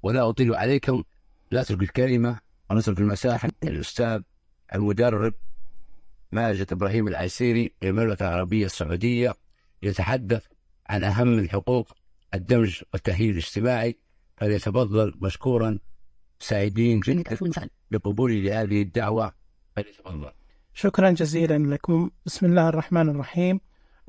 ولا أطيل عليكم، نترك الكلمة ونترك المساحة للأستاذ المدرب ماجد إبراهيم العسيري للمملكة العربية السعودية يتحدث عن أهم الحقوق الدمج والتأهيل الاجتماعي، فليتفضل مشكورا، سعيدين جدا بقبولي لهذه الدعوة، فليتفضل. شكرا جزيلا لكم. بسم الله الرحمن الرحيم،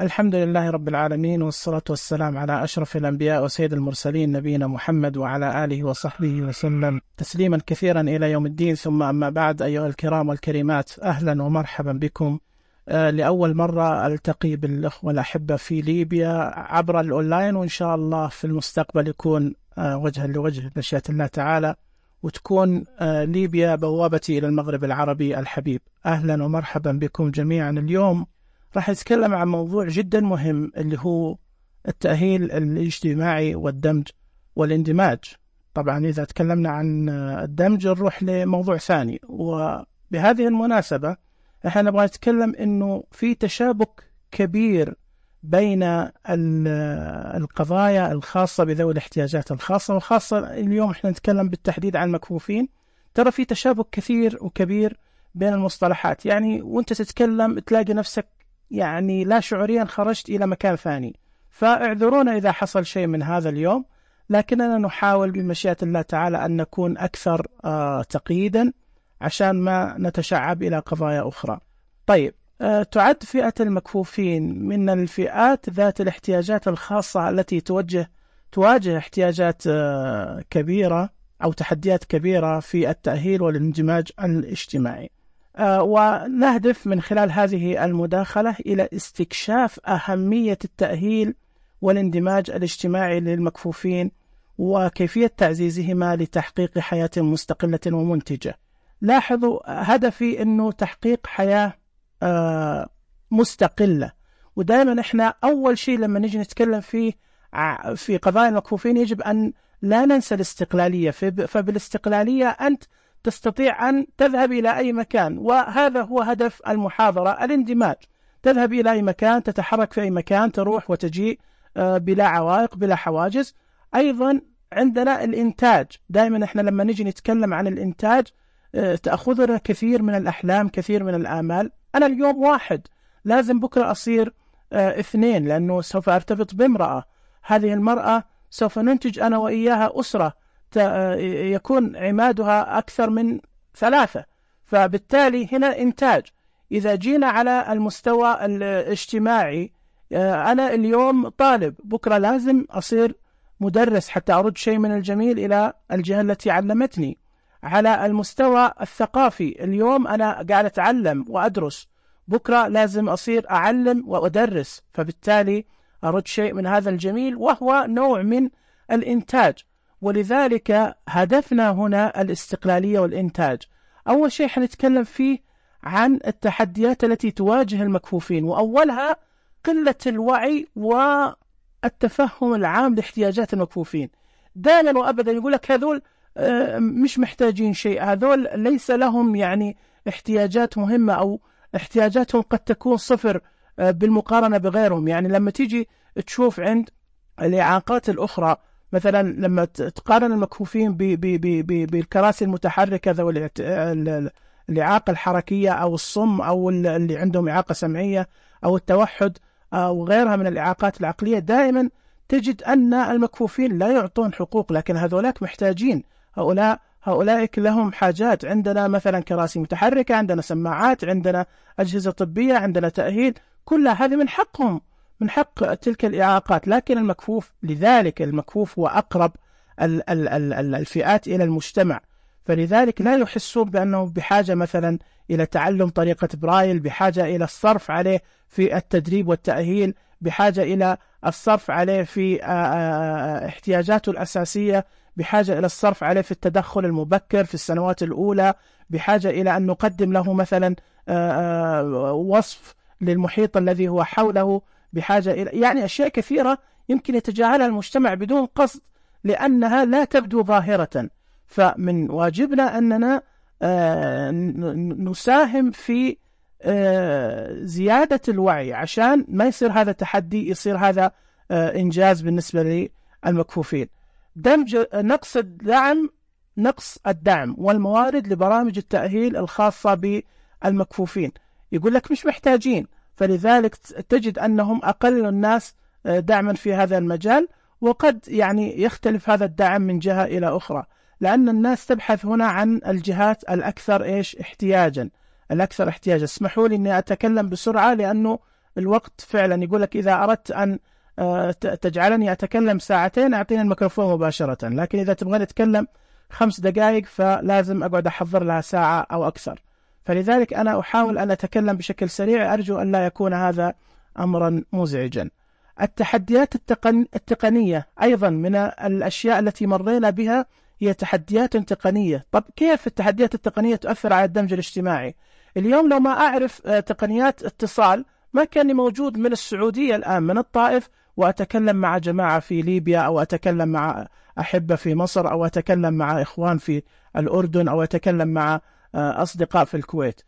الحمد لله رب العالمين، والصلاة والسلام على أشرف الأنبياء وسيد المرسلين نبينا محمد وعلى آله وصحبه وسلم تسليما كثيرا إلى يوم الدين. ثم أما بعد، أيها الكرام والكريمات، أهلا ومرحبا بكم. لأول مرة ألتقي بالأخوة الأحبة في ليبيا عبر الأونلاين، وإن شاء الله في المستقبل يكون وجها لوجه بمشيئة الله تعالى، وتكون ليبيا بوابتي إلى المغرب العربي الحبيب. أهلا ومرحبا بكم جميعا. اليوم راح نتكلم عن موضوع جدا مهم، اللي هو التأهيل الاجتماعي والدمج والاندماج. طبعا إذا تكلمنا عن الدمج نروح لموضوع ثاني، وبهذه المناسبة احنا نبغى نتكلم إنه في تشابك كبير بين القضايا الخاصة بذوي الاحتياجات الخاصة، وخاصة اليوم احنا نتكلم بالتحديد عن المكفوفين. ترى في تشابك كثير وكبير بين المصطلحات، يعني وانت تتكلم تلاقي نفسك يعني لا شعوريا خرجت إلى مكان ثاني. فاعذرونا إذا حصل شيء من هذا اليوم، لكننا نحاول بمشيئة الله تعالى أن نكون أكثر تقييدا عشان ما نتشعب إلى قضايا أخرى. طيب، تعد فئة المكفوفين من الفئات ذات الاحتياجات الخاصة التي تواجه احتياجات كبيرة أو تحديات كبيرة في التأهيل والاندماج الاجتماعي. ونهدف من خلال هذه المداخلة إلى استكشاف أهمية التأهيل والاندماج الاجتماعي للمكفوفين، وكيفية تعزيزهما لتحقيق حياة مستقلة ومنتجة. لاحظوا هدفي أنه تحقيق حياة مستقلة، ودائما احنا أول شيء لما نجي نتكلم في قضايا المكفوفين يجب أن لا ننسى الاستقلالية. فبالاستقلالية أنت تستطيع أن تذهب إلى أي مكان، وهذا هو هدف المحاضرة، الاندماج. تذهب إلى أي مكان، تتحرك في أي مكان، تروح وتجيء بلا عوائق بلا حواجز. أيضا عندنا الإنتاج، دائما احنا لما نجي نتكلم عن الإنتاج تأخذنا كثير من الأحلام، كثير من الآمال. أنا اليوم واحد، لازم بكرة أصير اثنين، لأنه سوف أرتبط بامرأة، هذه المرأة سوف ننتج أنا وإياها أسرة يكون عمادها أكثر من 3. فبالتالي هنا إنتاج. إذا جينا على المستوى الاجتماعي، أنا اليوم طالب، بكرة لازم أصير مدرس حتى أرد شيء من الجميل إلى الجهة التي علمتني. على المستوى الثقافي، اليوم أنا قاعد أتعلم وأدرس، بكرة لازم أصير أعلم وأدرس، فبالتالي أرد شيء من هذا الجميل، وهو نوع من الإنتاج. ولذلك هدفنا هنا الاستقلالية والإنتاج. أول شيء حنتكلم فيه عن التحديات التي تواجه المكفوفين، وأولها قلة الوعي والتفهم العام لاحتياجات المكفوفين. دائما وأبدا يقول لك هذول مش محتاجين شيء، هذول ليس لهم يعني احتياجات مهمة، أو احتياجاتهم قد تكون 0 بالمقارنة بغيرهم. يعني لما تيجي تشوف عند الإعاقات الأخرى، مثلا لما تقارن المكفوفين بالكراسي المتحركة ذوي الإعاقة الحركية أو الصم أو اللي عندهم إعاقة سمعية أو التوحد أو غيرها من الإعاقات العقلية، دائما تجد أن المكفوفين لا يعطون حقوق، لكن هذولاك محتاجين. هؤلاء لهم حاجات. عندنا مثلا كراسي متحركة، عندنا سماعات، عندنا أجهزة طبية، عندنا تأهيل، كل هذه من حقهم، من حق تلك الإعاقات. لكن المكفوف، لذلك المكفوف هو أقرب الفئات إلى المجتمع، فلذلك لا يحسون بأنه بحاجة مثلا إلى تعلم طريقة برايل، بحاجة إلى الصرف عليه في التدريب والتأهيل، بحاجة إلى الصرف عليه في احتياجاته الأساسية، بحاجة إلى الصرف عليه في التدخل المبكر في السنوات الأولى، بحاجة إلى أن نقدم له مثلا وصف للمحيط الذي هو حوله، بحاجة إلى يعني أشياء كثيرة يمكن يتجاهلها المجتمع بدون قصد لأنها لا تبدو ظاهرة. فمن واجبنا أننا نساهم في زيادة الوعي عشان ما يصير هذا تحدي، يصير هذا إنجاز بالنسبة للمكفوفين. نقص الدعم والموارد لبرامج التأهيل الخاصة بالمكفوفين. يقول لك مش محتاجين، فلذلك تجد أنهم أقل الناس دعما في هذا المجال. وقد يعني يختلف هذا الدعم من جهة إلى أخرى، لأن الناس تبحث هنا عن الجهات الأكثر احتياجا. اسمحوا لي أني أتكلم بسرعة لأنه الوقت فعلا يقول لك إذا أردت أن تجعلني أتكلم ساعتين أعطيني الميكروفون مباشرة، لكن إذا تبغى أتكلم 5 دقائق فلازم أقعد أحضر لها ساعة أو أكثر. فلذلك أنا أحاول أن أتكلم بشكل سريع، أرجو أن لا يكون هذا أمرا مزعجا. التحديات التقنية أيضا من الأشياء التي مرينا بها، هي تحديات تقنية. طب كيف التحديات التقنية تؤثر على الدمج الاجتماعي؟ اليوم لو ما أعرف تقنيات اتصال ما كان موجود من السعودية الآن من الطائف وأتكلم مع جماعة في ليبيا، أو أتكلم مع أحبة في مصر، أو أتكلم مع إخوان في الأردن، أو أتكلم مع أصدقاء في الكويت.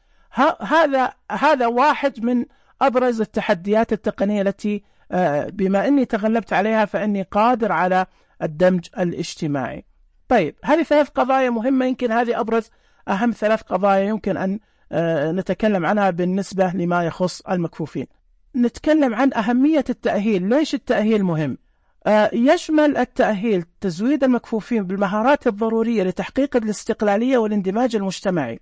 هذا واحد من أبرز التحديات التقنية التي بما أني تغلبت عليها فإني قادر على الدمج الاجتماعي. طيب هذه 3 قضايا مهمة، يمكن هذه أهم 3 قضايا يمكن أن نتكلم عنها بالنسبة لما يخص المكفوفين. نتكلم عن أهمية التأهيل. ليش التأهيل مهم؟ يشمل التأهيل تزويد المكفوفين بالمهارات الضرورية لتحقيق الاستقلالية والاندماج المجتمعي.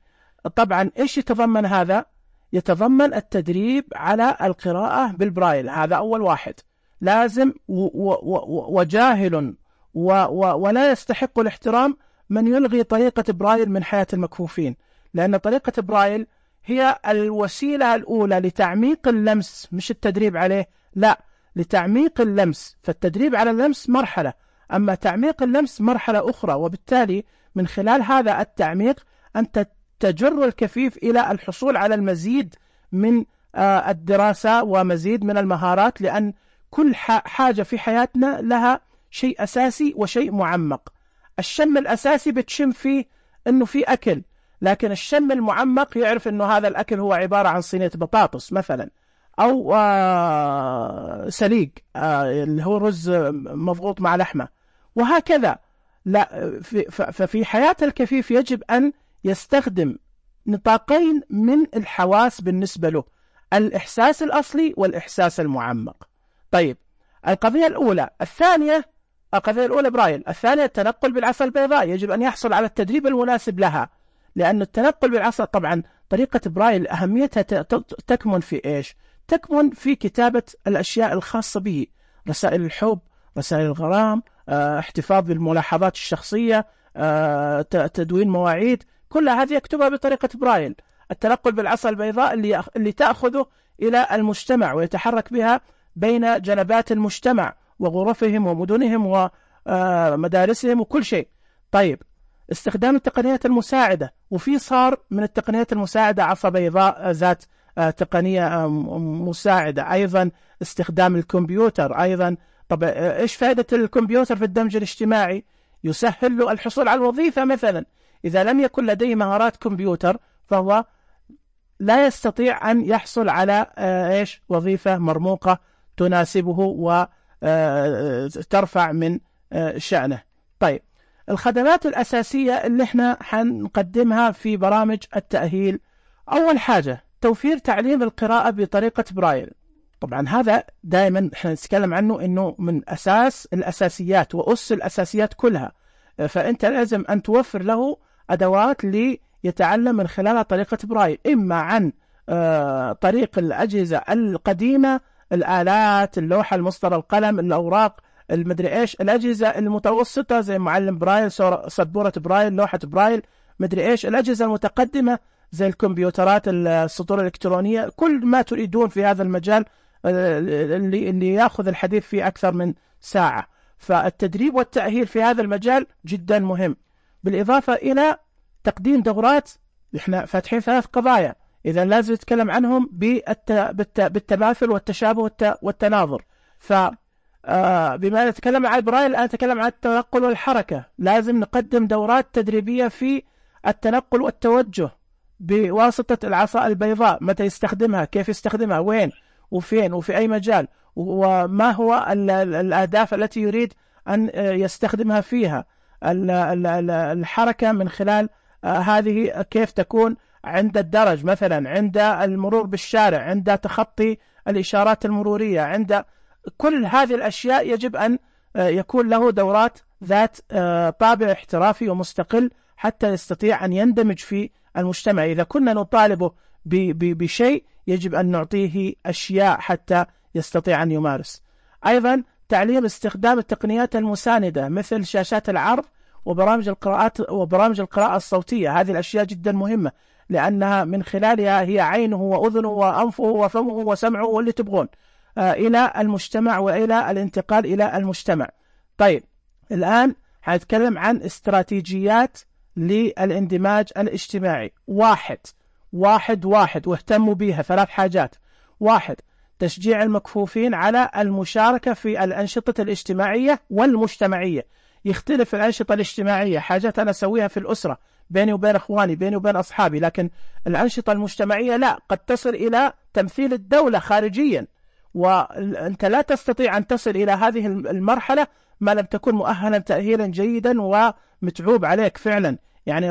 طبعا إيش يتضمن هذا؟ يتضمن التدريب على القراءة بالبرايل، هذا أول واحد لازم، وجاهل ولا يستحق الاحترام من يلغي طريقة برايل من حياة المكفوفين، لأن طريقة برايل هي الوسيلة الأولى لتعميق اللمس، مش التدريب عليه، لا، لتعميق اللمس. فالتدريب على اللمس مرحلة، أما تعميق اللمس مرحلة أخرى. وبالتالي من خلال هذا التعميق أنت تجر الكفيف إلى الحصول على المزيد من الدراسة ومزيد من المهارات، لأن كل حاجة في حياتنا لها شيء أساسي وشيء معمق. الشم الأساسي بتشم فيه أنه في أكل، لكن الشم المعمق يعرف أنه هذا الأكل هو عبارة عن صينية بطاطس مثلا، أو سليق اللي هو رز مضغوط مع لحمة، وهكذا. لا، ففي حياة الكفيف يجب أن يستخدم نطاقين من الحواس بالنسبة له، الإحساس الأصلي والإحساس المعمق. طيب القضية الأولى. القضية الأولى برايل. الثانية التنقل بالعصا البيضاء، يجب أن يحصل على التدريب المناسب لها، لأن التنقل بالعصا طبعا طريقة برايل أهميتها تكمن في إيش؟ تكمن في كتابة الأشياء الخاصة به، رسائل الحب، رسائل الغرام، احتفاظ بالملاحظات الشخصية، تدوين مواعيد، كل هذه يكتبها بطريقة برايل. التنقل بالعصا البيضاء اللي تأخذه إلى المجتمع ويتحرك بها بين جنبات المجتمع وغرفهم ومدنهم ومدارسهم وكل شيء. طيب استخدام التقنيات المساعدة، وفي صار من التقنيات المساعدة عصا بيضاء ذات تقنية مساعدة. أيضا استخدام الكمبيوتر أيضا. طب إيش فائدة الكمبيوتر في الدمج الاجتماعي؟ يسهل له الحصول على الوظيفة مثلا. إذا لم يكن لديه مهارات كمبيوتر فهو لا يستطيع أن يحصل على وظيفة مرموقة تناسبه وترفع من شأنه. طيب الخدمات الأساسية اللي احنا حنقدمها في برامج التأهيل، أول حاجة توفير تعليم القراءة بطريقة برايل. طبعا هذا دائما احنا نتكلم عنه انه من أساس الأساسيات وأس الأساسيات كلها، فأنت لازم أن توفر له أدوات ليتعلم من خلالها طريقة برايل، إما عن طريق الأجهزة القديمة، الآلات، اللوحة، المسطرة، القلم، الأوراق، المدري إيش، الأجهزة المتوسطة زي معلم برايل، سبورة برايل، لوحة برايل، مدري إيش، الأجهزة المتقدمة زي الكمبيوترات، السطور الإلكترونية، كل ما تريدون في هذا المجال اللي يأخذ الحديث فيه أكثر من ساعة. فالتدريب والتأهيل في هذا المجال جدا مهم، بالإضافة إلى تقديم دورات. إحنا فاتحين 3 قضايا، إذا لازم نتكلم عنهم بالتماثل والتشابه والتناظر. بما نتكلم عن برايل الآن نتكلم عن التنقل والحركة، لازم نقدم دورات تدريبية في التنقل والتوجه بواسطة العصا البيضاء، متى يستخدمها، كيف يستخدمها، وين وفين وفي أي مجال، وما هو الأهداف التي يريد أن يستخدمها فيها. الحركة من خلال هذه كيف تكون عند الدرج مثلا، عند المرور بالشارع، عند تخطي الإشارات المرورية، عند كل هذه الأشياء يجب أن يكون له دورات ذات طابع احترافي ومستقل حتى يستطيع أن يندمج في المجتمع. إذا كنا نطالبه بشيء يجب أن نعطيه أشياء حتى يستطيع أن يمارس. أيضا تعليم استخدام التقنيات المساندة مثل شاشات العرض وبرامج القراءة الصوتية. هذه الأشياء جدا مهمة لأنها من خلالها هي عينه وأذنه وأنفه وفمه وسمعه واللي تبغون إلى المجتمع وإلى الانتقال إلى المجتمع. طيب الآن هنتكلم عن استراتيجيات للاندماج الاجتماعي. واحد واهتموا بها 3 حاجات. 1 تشجيع المكفوفين على المشاركة في الأنشطة الاجتماعية والمجتمعية. يختلف الأنشطة الاجتماعية حاجات أنا أسويها في الأسرة بيني وبين أخواني بيني وبين أصحابي، لكن الأنشطة المجتمعية لا، قد تصل إلى تمثيل الدولة خارجيا، وأنت لا تستطيع أن تصل إلى هذه المرحلة ما لم تكن مؤهلا تأهيلا جيدا ومتعوب عليك فعلا. يعني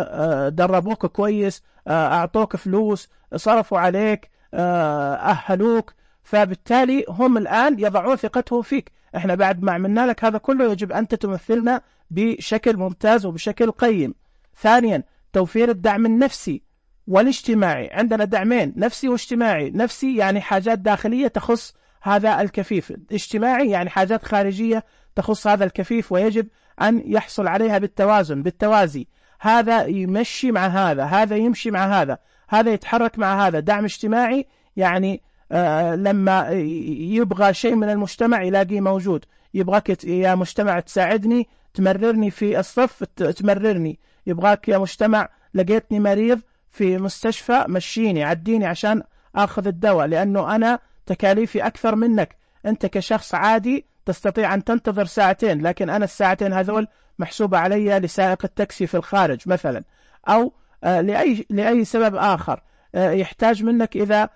دربوك كويس، أعطوك فلوس، صرفوا عليك، أهلوك، فبالتالي هم الآن يضعون ثقتهم فيك. احنا بعد ما عملنا لك هذا كله يجب أن تمثلنا بشكل ممتاز وبشكل قيم. 2 توفير الدعم النفسي والاجتماعي. عندنا دعمين، نفسي واجتماعي. نفسي يعني حاجات داخلية تخص هذا الكفيف، اجتماعي يعني حاجات خارجية تخص هذا الكفيف ويجب أن يحصل عليها بالتوازن بالتوازي. هذا يمشي مع هذا، هذا يمشي مع هذا، هذا يتحرك مع هذا. دعم اجتماعي يعني لما يبغى شيء من المجتمع يلاقيه موجود. يبغاك يا مجتمع تساعدني، تمررني في الصف تمررني. يبغاك يا مجتمع لقيتني مريض في مستشفى مشيني عديني عشان أخذ الدواء، لأنه أنا تكاليفي أكثر منك. أنت كشخص عادي تستطيع أن تنتظر 2 ساعات، لكن أنا 2 ساعات هذول محسوبة علي لسائق التاكسي في الخارج مثلا، أو لأي سبب آخر. يحتاج منك إذا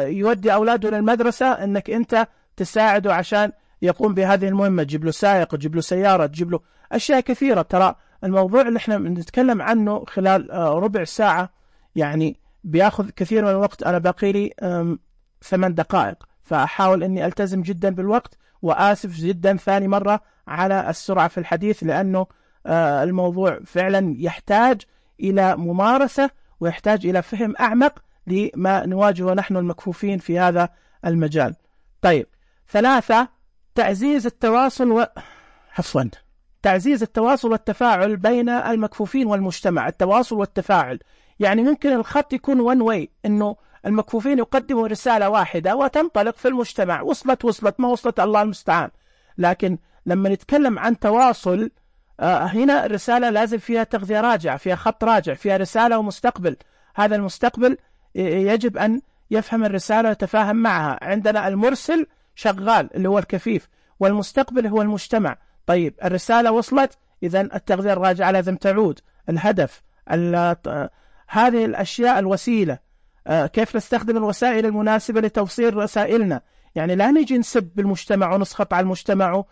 يودي أولاده للمدرسة أنك أنت تساعده عشان يقوم بهذه المهمة، تجيب له سائق، تجيب له سيارة، تجيب له أشياء كثيرة. ترى الموضوع اللي احنا نتكلم عنه خلال ربع ساعة يعني بياخذ كثير من الوقت. أنا باقي لي 8 دقائق، فأحاول أني ألتزم جدا بالوقت، وآسف جدا ثاني مرة على السرعة في الحديث، لأنه الموضوع فعلا يحتاج إلى ممارسة ويحتاج إلى فهم أعمق لما نواجهه نحن المكفوفين في هذا المجال. طيب 3 تعزيز التواصل تعزيز التواصل والتفاعل بين المكفوفين والمجتمع. التواصل والتفاعل يعني ممكن الخط يكون one way، إنه المكفوفين يقدموا رسالة واحدة وتنطلق في المجتمع، وصلت ما وصلت الله المستعان. لكن لما نتكلم عن تواصل هنا الرسالة لازم فيها تغذية راجع، فيها خط راجع، فيها رسالة ومستقبل. هذا المستقبل يجب أن يفهم الرسالة ويتفاهم معها. عندنا المرسل شغال اللي هو الكفيف، والمستقبل هو المجتمع. طيب الرسالة وصلت، إذن التغذية الراجعة لازم تعود. الهدف، هذه الأشياء الوسيلة، كيف نستخدم الوسائل المناسبة لتوصيل رسائلنا. يعني لا نجي نسب بالمجتمع ونسخط على المجتمع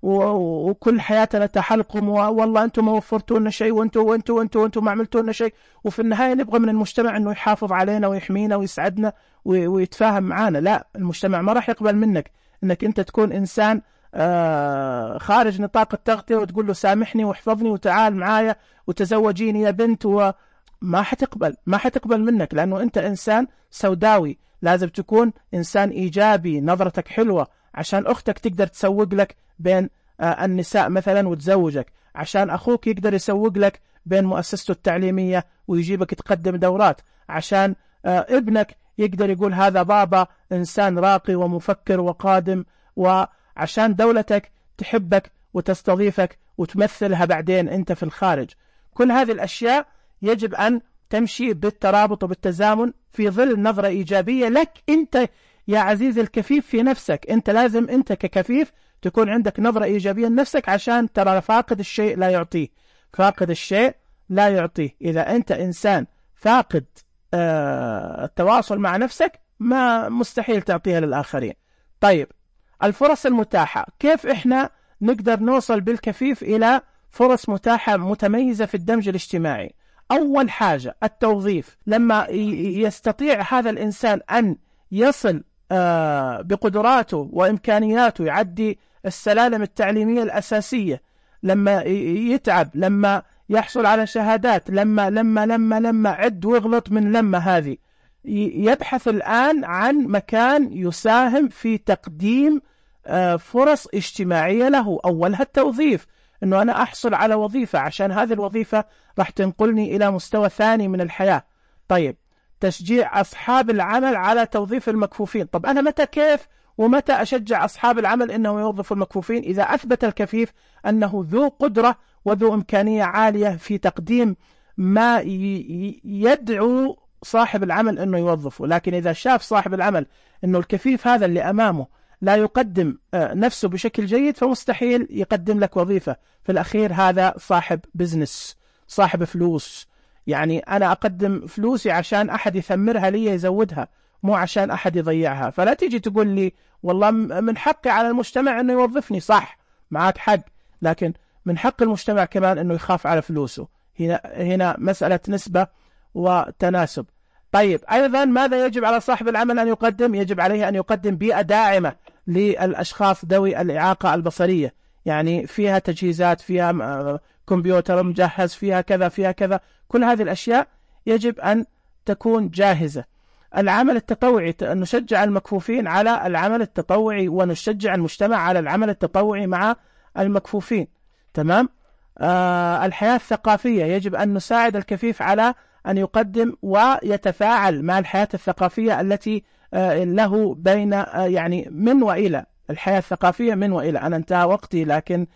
وكل حياتنا تحلقم، والله أنتم ما وفرتوا لنا شيء، وأنتم ما عملتوا لنا شيء. وفي النهاية نبغى من المجتمع أنه يحافظ علينا ويحمينا ويسعدنا ويتفاهم معنا. لا، المجتمع ما راح يقبل منك أنك أنت تكون إنسان خارج نطاق التغطية وتقول له سامحني واحفظني وتعال معايا وتزوجيني يا بنت، ما حتقبل منك، لأنه أنت إنسان سوداوي. لازم تكون إنسان إيجابي، نظرتك حلوة، عشان أختك تقدر تسوق لك بين النساء مثلا وتزوجك، عشان أخوك يقدر يسوق لك بين مؤسسته التعليمية ويجيبك تقدم دورات، عشان ابنك يقدر يقول هذا بابا إنسان راقي ومفكر وقادم، وعشان دولتك تحبك وتستضيفك وتمثلها بعدين أنت في الخارج. كل هذه الأشياء يجب أن تمشي بالترابط وبالتزامن في ظل نظرة إيجابية لك أنت يا عزيزي الكفيف في نفسك. أنت لازم أنت ككفيف تكون عندك نظرة إيجابية لنفسك، عشان ترى فاقد الشيء لا يعطيه، فاقد الشيء لا يعطيه. إذا أنت إنسان فاقد التواصل مع نفسك ما مستحيل تعطيها للآخرين. طيب الفرص المتاحة، كيف إحنا نقدر نوصل بالكفيف إلى فرص متاحة متميزة في الدمج الاجتماعي؟ أول حاجة التوظيف. لما يستطيع هذا الإنسان أن يصل بقدراته وإمكانياته يعدي السلالم التعليمية الأساسية، لما يتعب، لما يحصل على شهادات، لما عد ويغلط من لما هذه، يبحث الآن عن مكان يساهم في تقديم فرص اجتماعية له. أولها التوظيف، أنه أنا أحصل على وظيفة عشان هذه الوظيفة راح تنقلني إلى مستوى ثاني من الحياة. طيب، تشجيع أصحاب العمل على توظيف المكفوفين. طب أنا متى كيف ومتى أشجع أصحاب العمل أنه يوظفوا المكفوفين؟ إذا أثبت الكفيف أنه ذو قدرة وذو إمكانية عالية في تقديم ما يدعو صاحب العمل أنه يوظفه. لكن إذا شاف صاحب العمل أنه الكفيف هذا اللي أمامه لا يقدم نفسه بشكل جيد، فمستحيل يقدم لك وظيفة. في الأخير هذا صاحب بزنس، صاحب فلوس. يعني أنا أقدم فلوسي عشان أحد يثمرها لي يزودها، مو عشان أحد يضيعها. فلا تيجي تقول لي والله من حقي على المجتمع أنه يوظفني. صح، معك حق، لكن من حق المجتمع كمان أنه يخاف على فلوسه. هنا مسألة نسبة وتناسب. طيب، أيضا ماذا يجب على صاحب العمل أن يقدم؟ يجب عليه أن يقدم بيئة داعمة للأشخاص ذوي الإعاقة البصرية، يعني فيها تجهيزات، فيها كمبيوتر مجهز، فيها كذا فيها كذا. كل هذه الأشياء يجب أن تكون جاهزة. العمل التطوعي، نشجع المكفوفين على العمل التطوعي ونشجع المجتمع على العمل التطوعي مع المكفوفين. تمام. الحياة الثقافية، يجب أن نساعد الكفيف على أن يقدم ويتفاعل مع الحياة الثقافية التي له بين يعني من وإلى. الحياة الثقافية من وإلى. أنا انتهى وقتي، لكن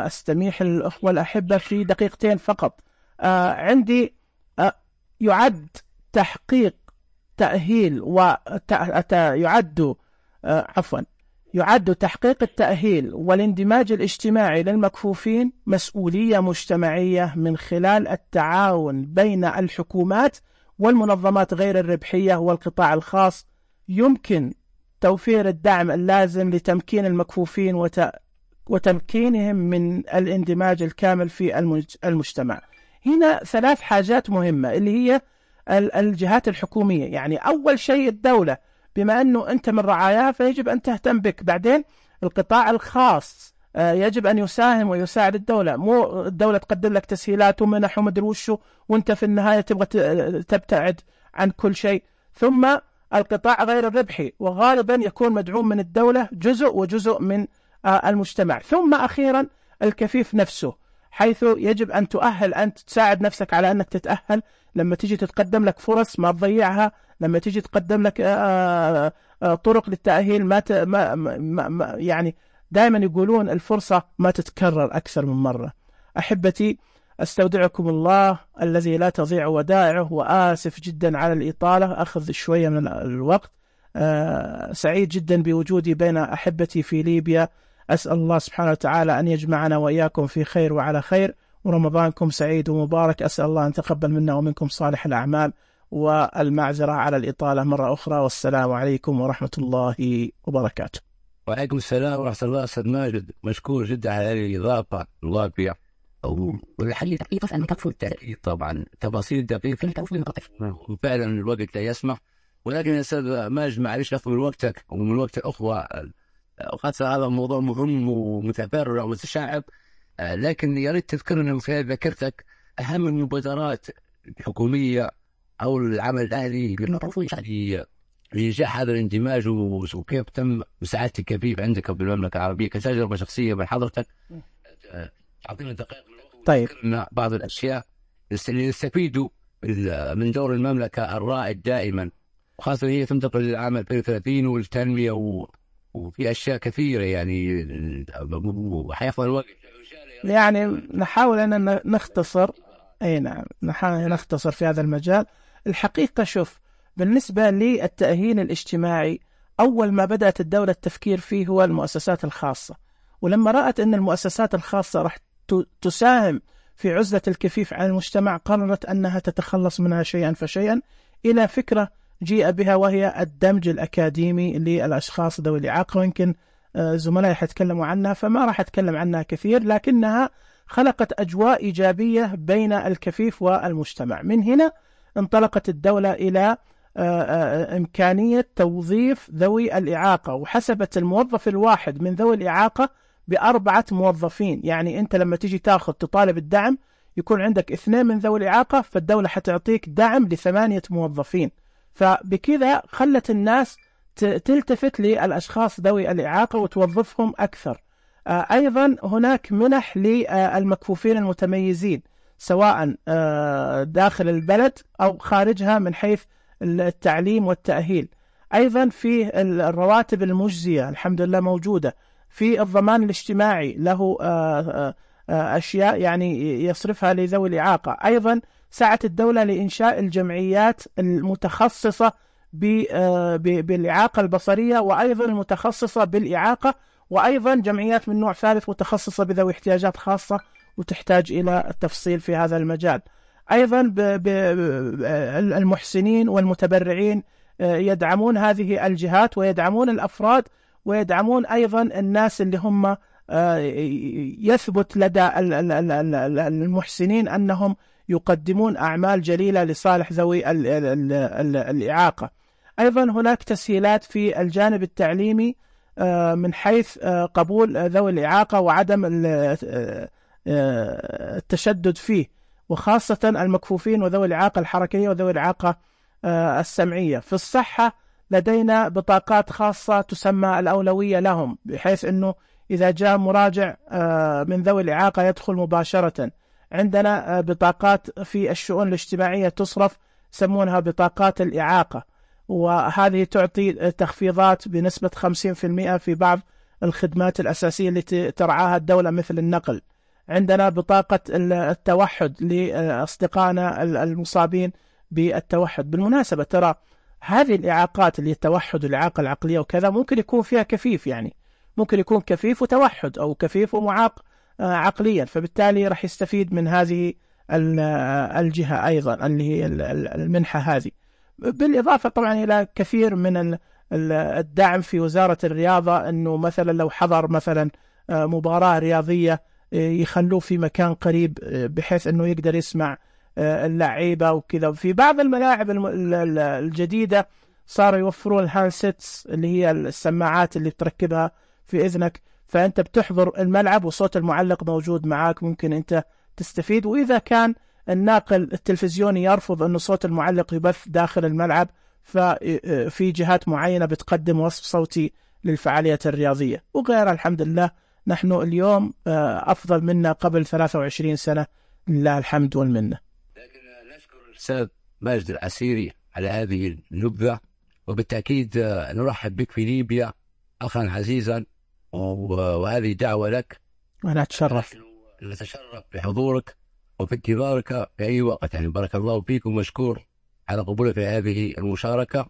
أستميح الأخوة الأحبة في دقيقتين فقط. عندي يعد تحقيق تأهيل يعد تحقيق التأهيل والاندماج الاجتماعي للمكفوفين مسؤولية مجتمعية من خلال التعاون بين الحكومات والمنظمات غير الربحية والقطاع الخاص. يمكن توفير الدعم اللازم لتمكين المكفوفين وتمكينهم من الاندماج الكامل في المجتمع. هنا 3 حاجات مهمة اللي هي الجهات الحكومية. يعني أول شيء الدولة، بما أنه أنت من رعاياها فيجب أن تهتم بك. بعدين القطاع الخاص يجب أن يساهم ويساعد الدولة، مو الدولة تقدم لك تسهيلات ومنح ومدري وشو وانت في النهاية تبغى تبتعد عن كل شيء. ثم القطاع غير الربحي، وغالبا يكون مدعوم من الدولة جزء من المجتمع. ثم أخيرا الكفيف نفسه، حيث يجب أن تؤهل، أن تساعد نفسك على أنك تتأهل لما تيجي تتقدم لك فرص ما تضيعها، لما تيجي تقدم لك طرق للتأهيل يعني دائما يقولون الفرصة ما تتكرر أكثر من مرة. أحبتي، أستودعكم الله الذي لا تضيع ودائعه، وآسف جدا على الإطالة، أخذ شوية من الوقت. سعيد جدا بوجودي بين أحبتي في ليبيا. أسأل الله سبحانه وتعالى أن يجمعنا وإياكم في خير وعلى خير، ورمضانكم سعيد ومبارك. أسأل الله أن تقبل منا ومنكم صالح الأعمال، والمعذرة على الإطالة مرة أخرى. والسلام عليكم ورحمة الله وبركاته. وعليكم السلام ورحمة الله. أستاذ ماجد، مشكور جدا على هذه الإضافة الواقعة والحل دقيقة أن تكفل التأكيد. طبعا تفاصيل دقيقة وفعلا الوقت لا يسمح، ولكن يا أستاذ ماجد معلش ناخذ من وقتك ومن وقت الأخوة، خاصة هذا الموضوع مهم ومتفرع ومتشعب، لكن يا ريت تذكرنا من خلال ذاكرتك أهم المبادرات الحكومية أو العمل الأهلي لإنجاح هذا الاندماج، وكيف تم مساعدة الكفيف عندك بالمملكة العربية كتجربة شخصية من حضرتك. أعطينا دقائق طيب، بعض الأشياء اللي يستفيدوا من دور المملكة الرائد دائما، وخاصة هي تنتقل للعام 2030 والتنمية وفي أشياء كثيرة يعني وحيفضل الوقت. يعني نحاول أن نختصر. أي نعم، نحاول نختصر في هذا المجال. الحقيقة شوف، بالنسبة للتأهيل الاجتماعي، أول ما بدأت الدولة التفكير فيه هو المؤسسات الخاصة، ولما رأت أن المؤسسات الخاصة راح تساهم في عزلة الكفيف عن المجتمع، قررت أنها تتخلص منها شيئا فشيئا إلى فكرة جيء بها، وهي الدمج الأكاديمي للأشخاص ذوي الإعاقة، ويمكن زملائي حيتكلموا عنها فما راح أتكلم عنها كثير، لكنها خلقت أجواء إيجابية بين الكفيف والمجتمع. من هنا انطلقت الدولة إلى إمكانية توظيف ذوي الإعاقة، وحسبت الموظف الواحد من ذوي الإعاقة ب4 موظفين. يعني أنت لما تيجي تطالب الدعم يكون عندك 2 من ذوي الإعاقة، فالدولة حتعطيك دعم ل8 موظفين. فبكذا خلت الناس تلتفت للأشخاص ذوي الإعاقة وتوظفهم أكثر. أيضا هناك منح للمكفوفين المتميزين سواء داخل البلد أو خارجها من حيث التعليم والتأهيل. أيضا في الرواتب المجزية الحمد لله موجودة. في الضمان الاجتماعي له أشياء يعني يصرفها لذوي الإعاقة. أيضا سعت الدولة لإنشاء الجمعيات المتخصصة بالإعاقة البصرية، وأيضا المتخصصة بالإعاقة، وأيضا جمعيات من نوع ثالث متخصصة بذوي احتياجات خاصة وتحتاج إلى التفصيل في هذا المجال. أيضا المحسنين والمتبرعين يدعمون هذه الجهات ويدعمون الأفراد ويدعمون أيضا الناس اللي هم يثبت لدى المحسنين أنهم يقدمون أعمال جليلة لصالح ذوي الإعاقة. أيضا هناك تسهيلات في الجانب التعليمي من حيث قبول ذوي الإعاقة وعدم التشدد فيه، وخاصة المكفوفين وذوي الإعاقة الحركية وذوي الإعاقة السمعية. في الصحة لدينا بطاقات خاصة تسمى الأولوية لهم، بحيث أنه إذا جاء مراجع من ذوي الإعاقة يدخل مباشرة. عندنا بطاقات في الشؤون الاجتماعية تصرف يسمونها بطاقات الإعاقة، وهذه تعطي تخفيضات بنسبة 50% في بعض الخدمات الأساسية التي ترعاها الدولة مثل النقل. عندنا بطاقة التوحد لأصدقائنا المصابين بالتوحد. بالمناسبة ترى هذه الإعاقات اللي التوحد والإعاقة العقلية وكذا ممكن يكون فيها كفيف، يعني ممكن يكون كفيف وتوحد أو كفيف ومعاق عقليا، فبالتالي راح يستفيد من هذه الجهة أيضا اللي هي المنحة هذه. بالإضافة طبعا إلى كثير من الدعم في وزارة الرياضة، أنه مثلا لو حضر مثلا مباراة رياضية يخلوه في مكان قريب بحيث أنه يقدر يسمع اللعيبة وكذا. في بعض الملاعب الجديدة صاروا يوفرون الهاندسيتس اللي هي السماعات اللي بتركبها في إذنك، فأنت بتحضر الملعب وصوت المعلق موجود معاك، ممكن أنت تستفيد. وإذا كان الناقل التلفزيوني يرفض أن صوت المعلق يبث داخل الملعب، ففي جهات معينة بتقدم وصف صوتي للفعاليات الرياضية وغيرها. الحمد لله نحن اليوم أفضل منا قبل 23 سنة، لله الحمد والمنة. لكن نشكر الأستاذ ماجد العسيري على هذه النبذة، وبالتأكيد نرحب بك في ليبيا أخا عزيزا، وهذه دعوة لك. وأنا أتشرف، نتشرف بحضورك وفي انتظارك في أي وقت. يعني بارك الله فيكم، مشكور على قبولك هذه المشاركة.